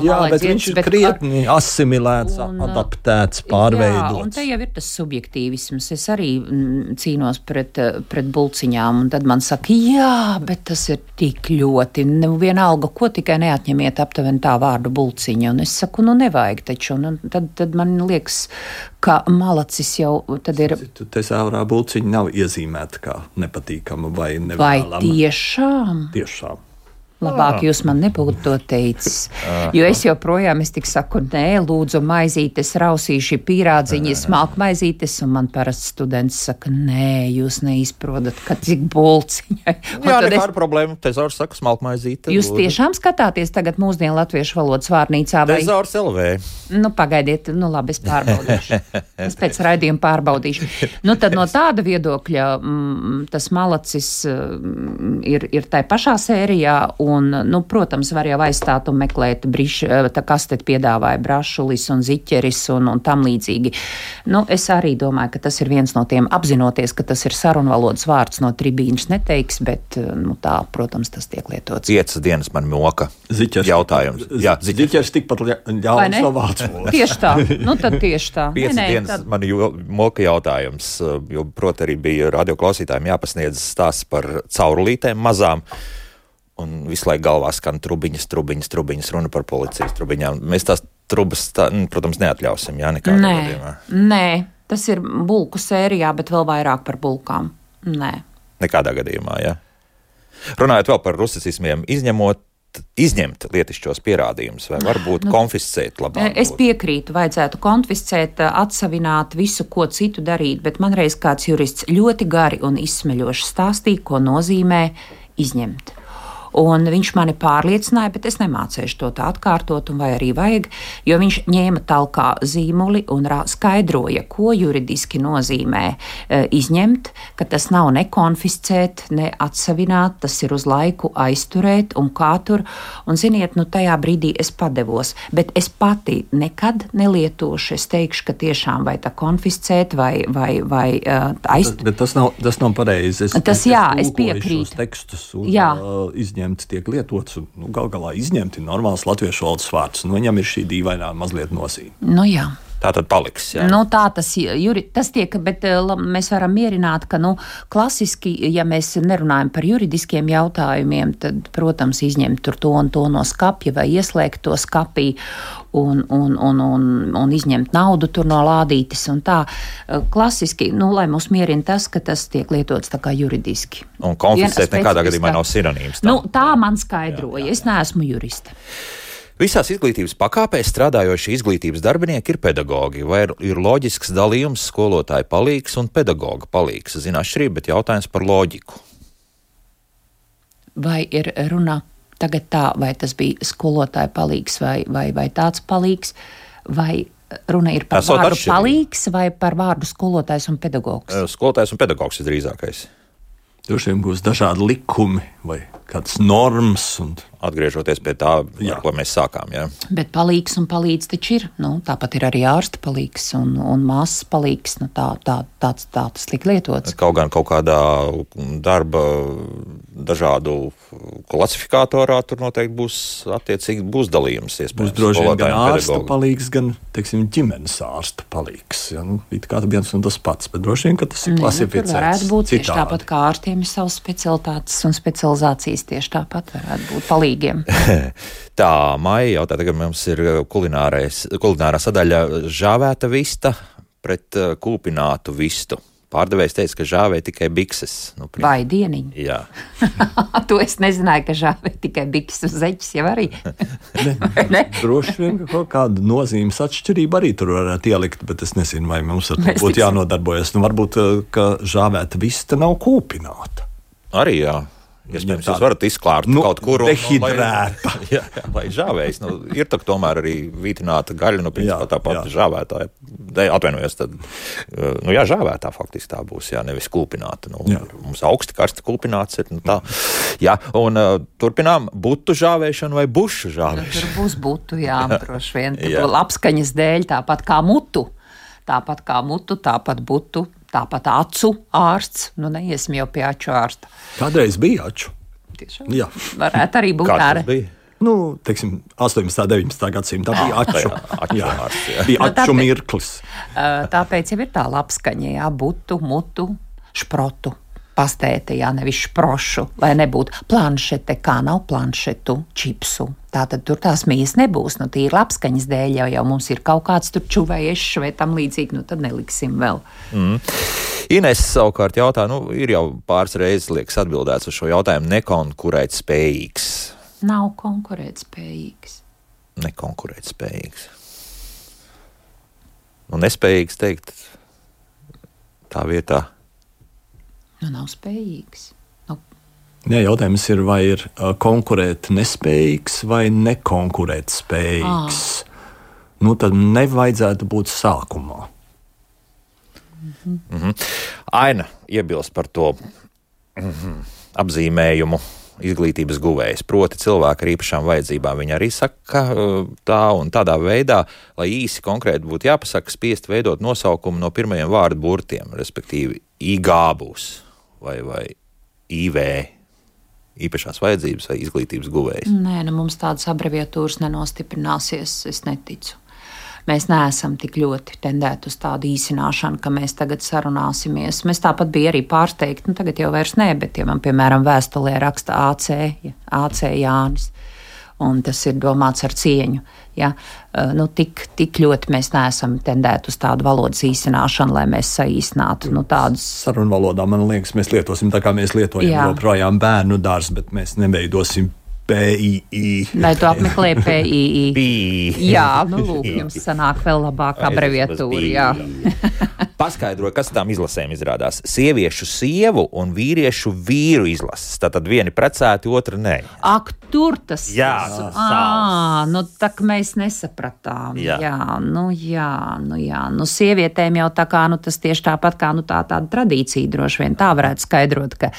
jā, bet viņš ir krietni asimilēts, adaptēts, pārveidots. Jā, un te jau ir tas subjektīvisms. Es arī cīnos pret bulciņām, un tad man saka, jā, bet tas ir tik ļoti, vienalga, ko tikai neatņemiet aptuveni tā vārdu bulciņa. Un es saku, nevajag taču, un tad man liekas, ka malacis jau tad ir... Te sāvrā bulciņa nav iezīmēta kā nepatīkama vai nevēlama. Vai tiešām? Tiešām. Labāk jūs man nebūtu to teicis, jo es joprojām tik saku, nē, lūdzu maizītes, rausīši pīrādziņi, smalku maizītes, un man parasti students saka, nē, jūs neizprodat, ka cik bulciņai. Jā, nekāda problēma, tezaurs saka smalku maizīte. Jūs tiešām skatāties tagad mūsdienu latviešu valodas vārnīcā? Vai? Tezaurs LV. Pagaidiet, labi, es pārbaudīšu. Es pēc raidījuma pārbaudīšu. Tad no tāda viedokļa tas malacis ir tai pašā sērijā, un, protams, var jau aizstāt un meklēt kas te piedāvāja brašulis un ziķeris un tam līdzīgi. Es arī domāju, ka tas ir viens no tiem, apzinoties, ka tas ir sarunvalodas vārds no tribīnas neteiks, bet, tā, protams, tas tiek lietots. 5 dienas man moka. Ziķers. Jautājums. Jā, ziķers tikpat ļauns no vārds. Tieši tā. Tad tieši tā. 5 dienas man moka jautājums, jo, proti, arī bija radioklausītājiem jāpasniedz stāsts par caurulītēm mazām. Un visu laiku galvā skan trubiņas, runa par policijas trubiņām. Mēs tās trubas, protams, neatļausim, nekādā gadījumā. Nē, Tas ir bulku sērijā, bet vēl vairāk par bulkām. Nē. Nekādā gadījumā, jā. Runājot vēl par rusicismiem, izņemt lietišķos pierādījumus vai varbūt konfiscēt labāk? Es piekrītu, vajadzētu konfiscēt, atsavināt visu, ko citu darīt, bet man reiz kāds jurists ļoti gari un izsmeļoši stāstīja, ko nozīmē izņemt. Un viņš mani pārliecināja, bet es nemācēšu to tā atkārtot, un vai arī vajag, jo viņš ņēma talkā zīmuli un skaidroja, ko juridiski nozīmē izņemt, ka tas nav ne konfiscēt, ne atsavināt, tas ir uz laiku aizturēt un kā tur. Un ziniet, tajā brīdī es padevos, bet es pati nekad nelietošu, es teikšu, ka tiešām vai tā konfiscēt vai aizturēt. Bet tas nav pareizi. Es piekrītu. Tekstus izņemt tiek lietots, un gal galā izņemt ir normāls latviešu valodas vārds. Viņam ir šī dīvainā mazliet nozīme. Jā. Tā tad paliks, jā. Tā tas tiek, bet mēs varam mierināt, ka, klasiski, ja mēs nerunājam par juridiskiem jautājumiem, tad, protams, izņemt tur to un to no skapja vai ieslēgt to skapī un izņemt naudu tur no lādītes un tā. Klasiski, lai mūs mierina tas, ka tas tiek lietots tā kā juridiski. Un konfiscēt nekādā gadījumā nav sinonīms. Tā man skaidroja. Es neesmu juriste. Visās izglītības pakāpēs strādājošie izglītības darbinieki ir pedagogi, vai ir loģisks dalījums skolotāja palīgs un pedagoga palīgs? Zinu atšķirību, bet jautājums par loģiku. Vai ir runa tagad tā, vai tas bija skolotāja palīgs vai tāds palīgs, vai runa ir par vārdu palīgs vai par vārdu skolotājs un pedagogs? Skolotājs un pedagogs ir drīzākais. Droši vien būs dažādi likumi vai kādas normas. Atgriežoties pie tā, ar ko mēs sākām. Jā. Bet palīgs un palīdz taču ir. Tāpat ir arī ārsta palīgs un māsas palīgs. Tas tiek lietots. Kaut kādā darba dažādu klasifikatorā tur noteikti būs dalījums. Būs droši vien gan ārsta palīgs, gan, ģimenes ārsta palīgs. It kā viens un tas pats, bet droši vien, ka tas ir klasificēts. Tur varētu būt tieši tāpat, kā ārstiem ir savas specialitātes un specializācijas, tieši tāpat varētu būt palīgiem. Tā, Maija jautā, tagad mums ir kulinārā sadaļa žāvēta vista pret kūpinātu vistu. Pārdevējs teica, ka žāvē tikai bikses. Vai dieniņi? Jā. To es nezināju, ka žāvē tikai bikses un zeķis jau arī. Ne? Droši vien, ka kaut kāda nozīmes atšķirība arī tur varētu ielikt, bet es nezinu, vai mums ar to būtu jānodarbojas. Varbūt, ka žāvēta vista nav kūpināta. Arī jā. Iespējams, jūs varat izklārt kaut kur dehidrēta. Lai žāvējs. Ir tomēr arī vītināta gaļa, principā tāpat žāvētā. Atvainojos, tad, žāvētā faktiski tā būs, nevis kūpināta. Mums augsti karsti kūpināts ir, tā. Jā, un turpinām butu žāvēšanu vai bušu žāvēšanu. Tur būs butu, droši vien. Labskaņas dēļ, tāpat kā mutu, tāpat butu. Tāpat acu ārsts, neiesim jau pie aču ārsta. Kādreiz bija aču. Tiešām? Jā. Varētu arī būt tā. 18. 19. gadsimta bija aču. Bija aču mirklis. Tāpēc jau ir tā labskaņa, butu, mutu, šprotu. Pastēte, nevis šprošu, lai nebūtu planšete, kā nav planšetu, čipsu. Tātad tur tās mijas nebūs, tīri labskaņas dēļ, jau mums ir kaut kāds tur čuvējuši vai tam līdzīgi, tad neliksim vēl. Ines savukārt jautā, ir jau pāris reizes, liekas, atbildēts uz šo jautājumu, nekonkurēt spējīgs. Nav konkurēt spējīgs. Nekonkurēt spējīgs. Nespējīgs teikt tā vietā. Nav spējīgs. Jā, jautājums ir, vai ir konkurēt nespējīgs vai nekonkurēt spējīgs. Tad nevajadzētu būt sākumā. Aina iebilst par to apzīmējumu izglītības guvējs. Proti cilvēki ar īpašām vajadzībām. Viņi arī saka tā un tādā veidā, lai īsi konkrēti būtu jāpasaka, spiest veidot nosaukumu no pirmajiem vārdu burtiem, respektīvi IG būs. Vai IV, īpašās vajadzības vai izglītības guvējs? Nē, mums tādas abreviatūras nenostiprināsies, es neticu. Mēs neesam tik ļoti tendēti uz tādu īsināšanu, ka mēs tagad sarunāsimies. Mēs tāpat bija arī pārsteigti, tagad jau vairs nē, bet ja man, piemēram, vēstulē raksta AC Jānis, un tas ir domāts ar cieņu. Ja? Tik ļoti mēs neesam tendēti uz tādu valodas īsināšanu, lai mēs saīsinātu tādus. Sarunu valodā, man liekas, mēs lietosim tā, kā mēs lietojam joprojām bērnu dārs, bet mēs neveidosim PII. Lai tu apmeklē PII. Jā, lūk, jums sanāk vēl labāka abreviatūra, jā. Paskaidroju, kas tām izlasēm izrādās. Sieviešu sievu un vīriešu vīru izlases. Tātad vieni precēti, otra nē. Ak, tur tas. Jā, tak mēs nesapratām. Jā. Sievietēm jau tā kā, tas tieši tāpat kā, tāda tradīcija droši vien tā varētu skaidrot, ka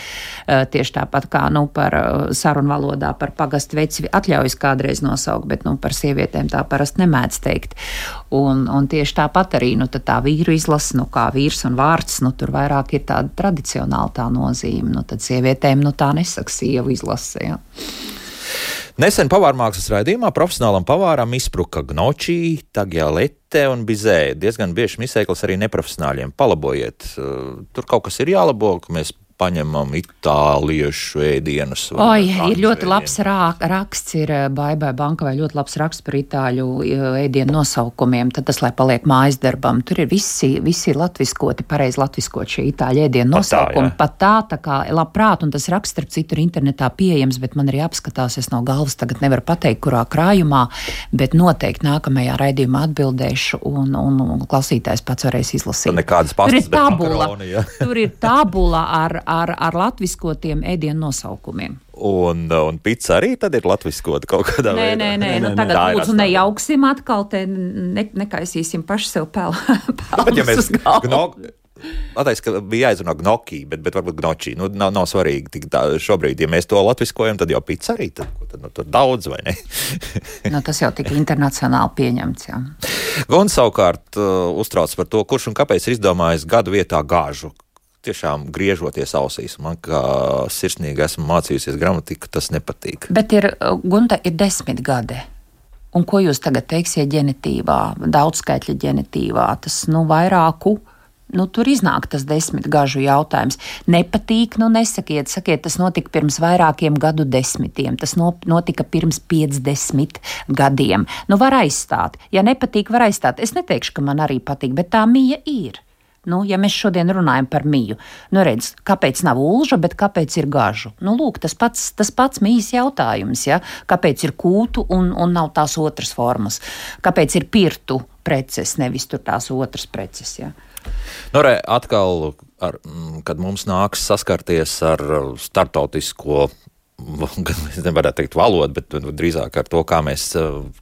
tieši tāpat kā, par sarunu valodā par pagastu veci atļaujas kādreiz nosaukt, bet, par sievietēm tā parasti nemēdz teikt. Un tieši tāpat arī, tad tā vīru izlase, kā vīrs un vārds, tur vairāk ir tāda tradicionāla tā nozīme. Tad sievietēm, tā nesaka sievu izlase, jā. Nesen pavārmākslas raidījumā profesionālam pavāram izspruka gnocchi, tagliatelle un bizē. Diezgan bieži misēklis arī neprofesionāļiem. Palabojiet. Tur kaut kas ir jālabo, ka mēs paņemam itāliešu ēdienus. Ir ļoti labs raksts, ir Baibai Bankavai ļoti labs raksts par itāļu ēdienu nosaukumiem, tad tas, lai paliek mājas darbam. Tur ir visi latviskoti, pareizi latviskot šie itāļu ēdienu nosaukumi. Pat tā kā labprāt, un tas raksts, starp citu, ir internetā pieejams, bet man arī apskatās, es no galvas tagad nevaru pateikt, kurā krājumā, bet noteikti nākamajā raidījumā atbildēšu, un klausītājs pats varēs izlasīt. Nekādas pastas, bet makaroni, ja. Tur ir tabula ar latviskotiem ēdienu nosaukumiem. Un pizza arī tad ir latviskota kaut kādā veidā? Nē. Tagad lūdzu nejauksim atkal, te nekaisīsim paši sev pelnus uz galvu. Pateiks, ka bija jāizrunā gnocchi, bet varbūt gnocchi. Nav svarīgi. Tik šobrīd, ja mēs to latviskojam, tad jau pizza arī. Tad tur daudz, vai ne? Tas jau tik internacionāli pieņemts, jā. Gun savukārt uztrauc par to, kurš un kāpēc ir izdomājis gadu vietā gāžu. Tiešām griežoties ausīs. Man kā sirsnīgi esmu mācījusies gramatiku, tas nepatīk. Bet Gunta ir 10 gadi. Un ko jūs tagad teiksiet ģenitīvā, daudzskaitļa ģenitīvā? Tas, vairāku, tur iznāk tas 10 gažu jautājums. Nepatīk, nesakiet, tas notika pirms vairākiem gadu desmitiem. Tas notika pirms 50 gadiem. Var aizstāt. Ja nepatīk, var aizstāt. Es neteikšu, ka man arī patīk, bet tā mija ir. Ja mēs šodien runājam par miju, redz, kāpēc nav ulža, bet kāpēc ir gažu? Lūk, tas pats mijas jautājums, ja? Kāpēc ir kūtu un nav tās otras formas? Kāpēc ir pirtu preces, nevis tur tās otras preces, ja? Atkal, kad mums nāks saskarties ar startautisko, es nevarētu teikt valodu, bet drīzāk ar to, kā mēs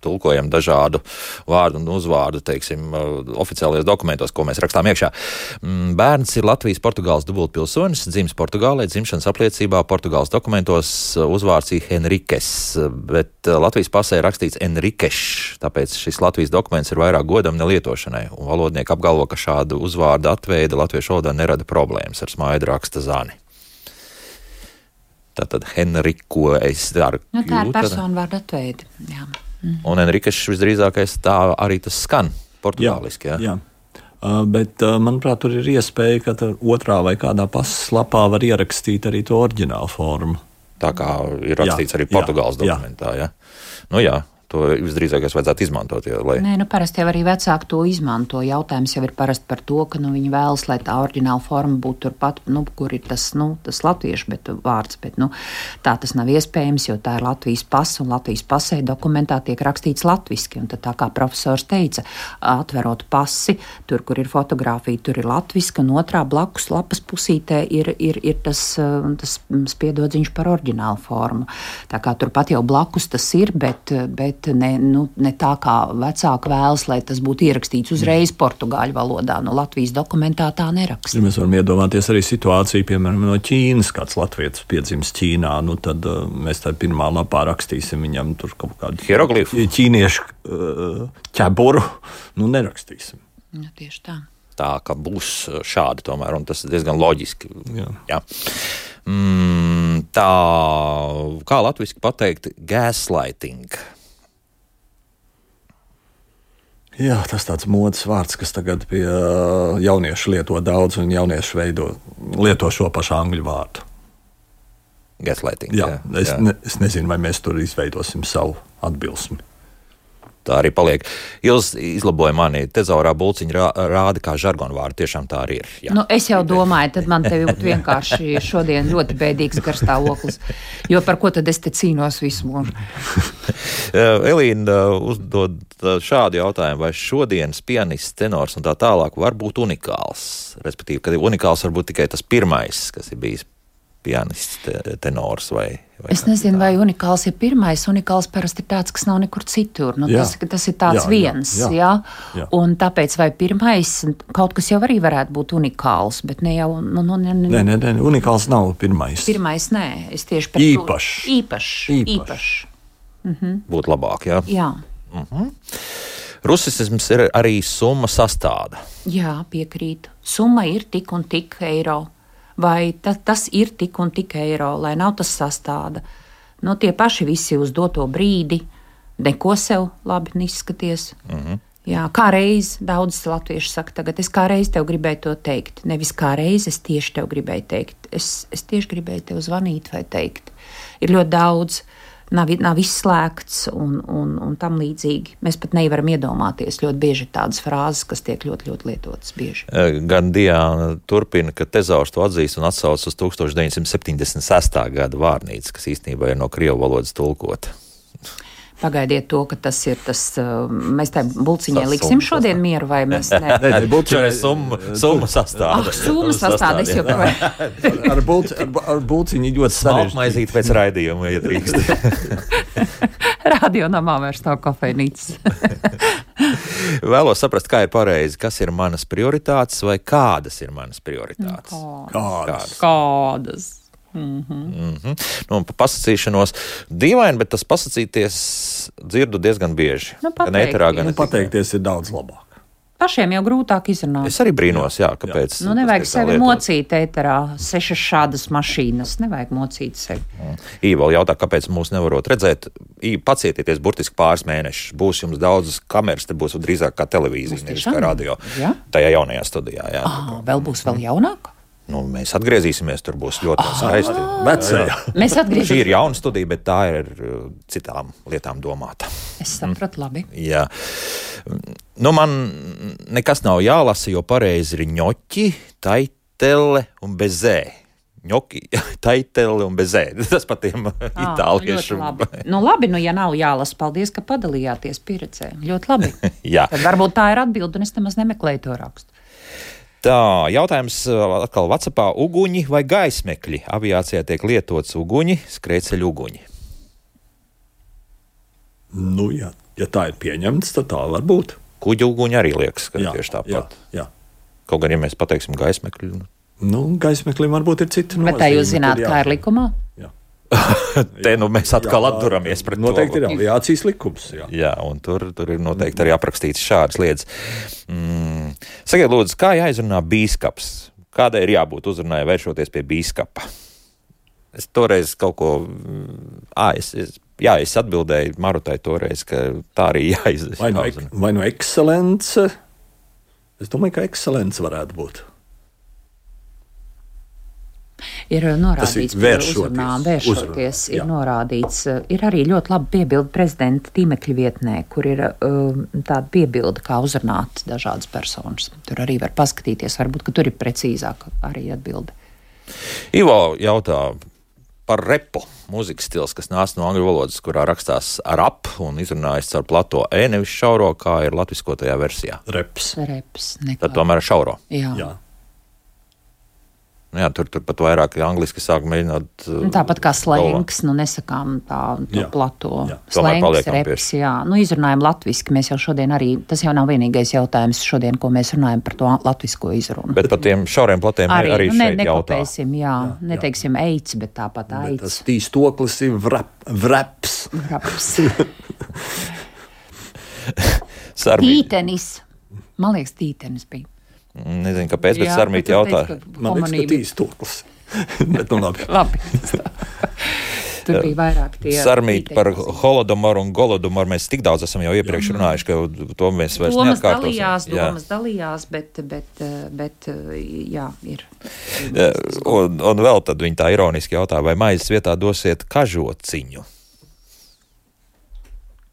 tulkojam dažādu vārdu un uzvārdu, teiksim, oficiālajos dokumentos, ko mēs rakstām iekšā. Bērns ir Latvijas Portugāles dubultpilsonis, dzimis Portugālē, dzimšanas apliecībā Portugāles dokumentos uzvārds ir Henriques, bet Latvijas pasē rakstīts Enriqueš, tāpēc šis Latvijas dokuments ir vairāk godam nelietošanai, un valodnieki apgalvo, ka šādu uzvārdu atveida latviešu valodā nerada problēmas ar smaidu raksta zani. Tātad Henriku es daru. Tā ir personu vārdu atveidi. Jā. Un Enrikas visdrīzākais tā arī tas skan portugāliski. Jā. Bet, manuprāt, tur ir iespēja, ka otrā vai kādā pasas lapā var ierakstīt arī to oriģinālu formu. Tā kā ir rakstīts arī Portugāles dokumentā. Jā. Jā. To visdrīzākais vajadzētu izmantot. Parasti jau arī vecāki to izmanto. Jautājums jau ir parasti par to, ka viņi vēlas, lai tā oriģināla forma būtu turpat, kur ir tas latviešu vārds, bet tā tas nav iespējams, jo tā ir Latvijas pasa, un Latvijas pasē dokumentā tiek rakstīts latviski. Un tad tā kā profesors teica, atverot pasi, tur, kur ir fotografija, tur ir latviski, un otrā blakus lapas pusītē ir tas spiedodziņš par oriģinālu formu. Tā kā turpat jau blakus tas ir, bet ne tā kā vecāki vēlas, lai tas būtu ierakstīts uzreiz portugāļu valodā. Latvijas dokumentā tā neraksta. Ja mēs varam iedomāties arī situāciju, piemēram, no Ķīnas, kāds latvietis piedzimis Ķīnā, tad mēs tā pirmā lapā rakstīsim viņam tur kaut kādu hieroglifu, ķīniešu ķeburu, nerakstīsim. Tieši tā. Tā kā būs šādi tomēr, un tas ir diezgan loģiski. Jā. Tā, kā latviski pateikt, gaslighting. Jā, tas tāds modes vārds, kas tagad pie jauniešu lieto daudz, un jaunieši lieto šo pašu angļu vārdu. Gaslighting. Jā. Es nezinu, vai mēs tur izveidosim savu atbilsmi. Tā arī paliek. Jūs izlaboja mani, tezaurā bulciņa rāda kā žargonu vārdu, tiešām tā arī ir. Jā. Nu, es jau domāju, tad man te būtu vienkārši šodien ļoti bēdīgs garstāvoklis, jo par ko tad es te cīnos visu mūžu? Elīna uzdod šādu jautājumu, vai šodienas pianists, tenors un tā tālāk var būt unikāls? Respektīvi, ka unikāls var būt tikai tas pirmais, kas ir bijis pianists, tenors vai es nezinu, vai unikāls ir pirmais. Unikāls parasti ir tāds, kas nav nekur citur. Nu, tas ir tāds viens. Jā. Un tāpēc vai pirmais kaut kas jau arī varētu būt unikāls, bet ne jau. Nē, unikāls nav pirmais. Pirmais nē, es tieši par īpašs. Būtu labāk, jā. Jā. Rusisms ir arī summa sastāda. Jā, piekrītu. Summa ir tik un tik eiro. Vai tas ir tik un tik eiro, lai nav tas sastāda. No tie paši visi uz doto brīdi, neko sev labi izskaties. Jā, kā reiz daudz latvieši saka tagad, es kā reiz tev gribēju to teikt. Nevis kā reiz es tieši tev gribēju teikt. Es tieši gribēju tev zvanīt vai teikt. Ir ļoti daudz, nav izslēgts un tam līdzīgi. Mēs pat nevaram iedomāties ļoti bieži tādas frāzes, kas tiek ļoti, ļoti lietotas bieži. Gan Diana turpina, ka tezaurs to atzīst un atsauc uz 1976. gada vārnīcu, kas īstenībā ir no krievu valodas tulkota. Pagaidiet to, ka tas ir tas, mēs tai bulciņai liksim šodien mieru, vai mēs ne? Bulciņai summa sastāda. Summa sastāda, es joprojām. Ar bulciņu ļoti sarežģīti. Smalkmaizīt pēc raidījuma, ja drīkst. Radionamā vairs nav kafejnīcas. Vēlos saprast, kā ir pareizi, kas ir manas prioritātes vai kādas ir manas prioritātes. Kādas. Nu, pasacīšanos dīvaini, bet tas pasacīties dzirdu diezgan bieži. Gan ēterā, gan pateikties ir daudz labāk. Pašiem jau grūtāk izrunāt. Es arī brīnos, kāpēc. Nu, nevajag sevi mocīt ēterā, 6 šādas mašīnas, nevajag mocīt sevi. Īva vēl jautā, kāpēc mūs nevarot redzēt. Pacietieties burtiski pāris mēnešus. Būs jums daudzas kameras, te būs drīzāk kā televīzija, nevis kā radio. Ja? Tajā jaunajā studijā, jā. Vēl būs vēl jaunāk? Nu, mēs atgriezīsimies, tur būs ļoti skaisti. Mēs atgriezīsimies. Šī ir jauna studija, bet tā ir citām lietām domāta. Es sapratu labi. Jā. Nu, man nekas nav jālasa, jo pareizi ir ņoķi, taitele un bezē. Ņoki, taitele un bezē. Tas pat tiem itāliešu. Nu labi, ja nav jālasa, paldies, ka padalījāties pieredzē. Ļoti labi. Jā. Tad varbūt tā ir atbilde, un es nemaz nemeklēju to rakstu. Tā, jautājums atkal WhatsAppā. Uguņi vai gaismekļi? Aviācijā tiek lietots uguņi, skrejceļu uguņi. Nu, ja tā ir pieņemts, tad tā var būt. Kuģi uguņi arī liekas, ka tieši tāpat. Jā. Kaut gan, ja mēs pateiksim gaismekļi. Nu, gaismeklim varbūt ir cita nozīme. Bet tā jūs zināt, kā ir likumā? Jā. Te nu mēs atkal atturamies pret to. Noteikti ir aviācijas likums. Jā, un tur ir noteikti arī aprakstīts šādas lietas. Sakiet, lūdzu, kā jāizrunā bīskaps? Kādai ir jābūt uzrunai vēršoties pie bīskapa? Es toreiz kaut ko... Es atbildēju Marutai toreiz, ka tā arī jāizrunā. Vai no ekscelence? Es domāju, ka ekscelence varētu būt. Ir norādīts par uzrunām, vēršoties, ir norādīts. Ir arī ļoti labi piebilde prezidenta tīmekļa vietnē, kur ir tāda piebilde, kā uzrunāt dažādas personas. Tur arī var paskatīties, varbūt, ka tur ir precīzāk arī atbilde. Ivo jautā par repu, mūzikas stils, kas nāc no angļu valodas, kurā rakstās rap un izrunājas caur plato nevis šauro, kā ir latviskotajā versijā. Reps. Nekā. Tad tomēr šauro. Jā. Jā, tur pat vairāk angliski sāk mēģināt. Tāpat kā slēngs, nesakām to plato. Slēngs, reps, jā. Izrunājam latviski, mēs jau šodien arī, tas jau nav vienīgais jautājums šodien, ko mēs runājam par to latvisko izrunu. Bet par tiem šauriem platiem arī šeit jautā. Jā, neteiksim eids, bet tāpat aids. Bet tas tīstoklis ir vraps. Tītenis. Man liekas, tītenis bija. Nezinu, kāpēc, bet Sarmīti jautā. Man liekas, ka tīstoklis. Bet nu labi. Tur bija vairāk tie. Sarmīt par holodomoru un golodomoru mēs tik daudz esam jau iepriekš runājuši, ka to mēs vairs neatkārtosim. Domas dalījās, bet jā, ir. Un vēl tad viņi tā ironiski jautā, vai maizes vietā dosiet kažociņu?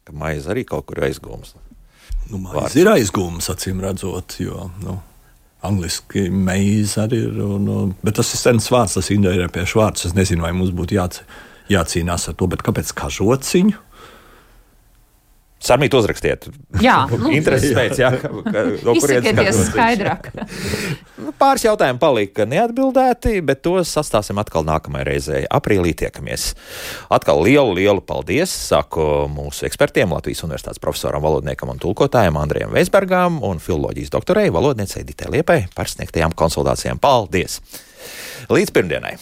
Ka maize arī kaut kur aizgūmas. Maize ir aizgūmas, acīm redzot, jo, angliski maize arī ir, bet tas ir sens vārds, tas indoeiropiešu vārds. Es nezinu, vai mums būtu jācīnās ar to, bet kāpēc kažociņu? Sarmīt uzrakstiet. Jā, Intereses pēc, jā. Izsakieties skaidrāk. Pāris jautājumi palika neatbildēti, bet tos sastāsim atkal nākamajai reizei. Aprīlī tiekamies. Atkal lielu paldies, saku mūsu ekspertiem, Latvijas Universitātes profesoram, valodniekam un tulkotājiem Andrejam Veisbergam un filoloģijas doktorei, valodniecei Ditei Liepai par sniegtajām konsultācijām. Paldies! Līdz pirmdienai.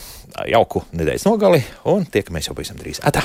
Jauku nedēļas nogali un tiekamies jau pavisam drīz. Atā!